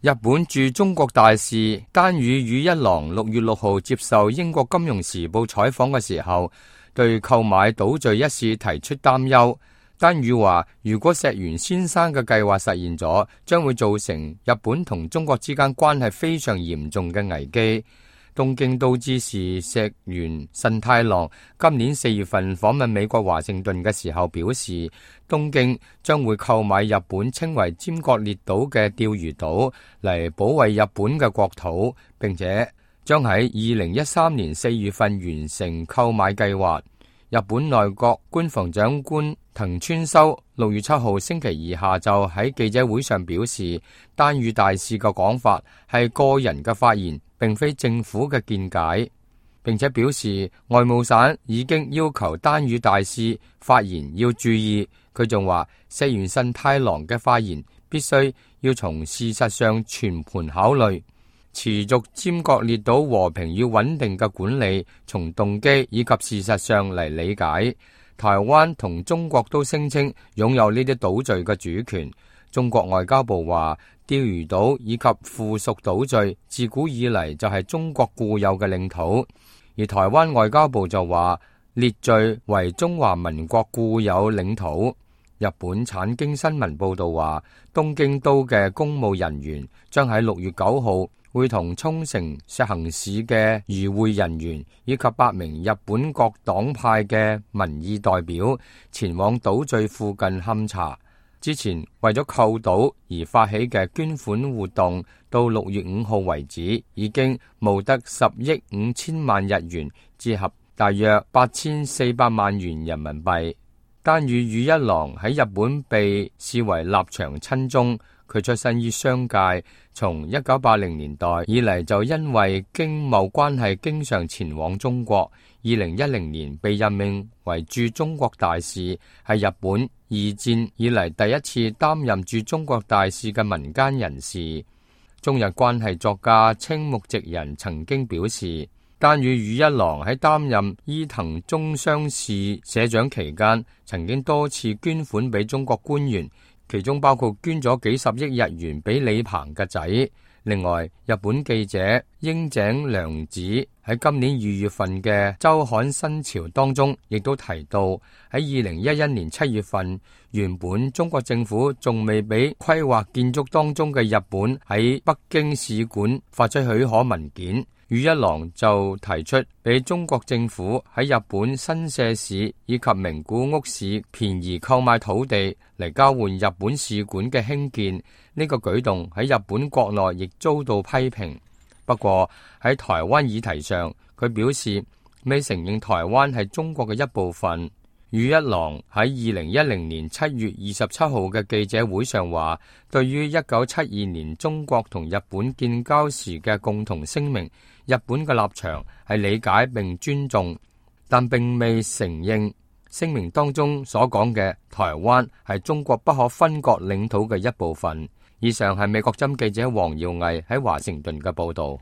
日本駐中國大使丹羽宇一郎6月6號接受英國金融時報採訪嘅時候，對購買島嶼一事提出擔憂。丹羽話，如果石原先生嘅計劃實現咗，將會造成日本同中國之間關係非常嚴重嘅危機。東京都知事石原慎太郎今年4月份訪問美國華盛頓嘅時候表示，東京將會購買日本稱為尖閣列島嘅釣魚島嚟保衛日本嘅國土，並且將喺2013年4月份完成購買計劃。日本內閣官房長官藤村修6月7號星期二下晝喺記者會上表示，丹羽大使嘅講法係個人嘅發言，並非政府嘅見解，並且表示外務省已經要求丹羽大使發言要注意。佢仲話，石原慎太郎嘅發言必須要從事實上全盤考慮，持續尖閣列島和平與穩定嘅管理，從動機以及事實上嚟理解。台灣同中國都聲稱擁有呢啲島嶼嘅主權。中國外交部話，釣魚島以及附屬島嶼自古以嚟就係中國固有嘅領土，而台灣外交部就話列嶼為中華民國固有領土。日本產經新聞報道話，東京都嘅公務人員將喺6月9號會同沖繩石垣市嘅與會人員以及8名日本各黨派嘅民意代表前往島嶼附近勘查。之前為咗購島而發起嘅捐款活動，到6月5號為止，已經募得10億5千萬日元，折合大約8400萬元人民幣。丹羽宇一郎喺日本被視為立場親中，佢出身於商界，從1980年代以嚟就因為經貿關係經常前往中國。2010年被任命為駐中國大使，係日本二戰以嚟第一次擔任駐中國大使嘅民間人士。中日關係作家青木直人曾經表示，丹羽宇一郎喺擔任伊藤忠商事社長期間，曾經多次捐款俾中國官員，其中包括捐咗幾十億日元俾李鵬嘅仔。另外，日本記者櫻井良子喺今年2月份嘅週刊新潮當中，亦都提到喺2011年7月份，原本中國政府仲未俾規劃建築當中嘅日本喺北京使館發出許可文件，宇一郎就提出俾中國政府喺日本新社市以及名古屋市便宜購買土地嚟交換日本使館嘅興建。呢個舉動喺日本國內亦遭到批評。不過喺台灣議題上，佢表示未承認台灣係中國嘅一部分。宇一郎喺2010年7月27號嘅記者會上話，對於1972年中國同日本建交時嘅共同聲明，日本嘅立場係理解並尊重，但並未承認聲明當中所講嘅台灣係中國不可分割領土嘅一部分。以上係美國針記者黃耀毅喺華盛頓嘅報道。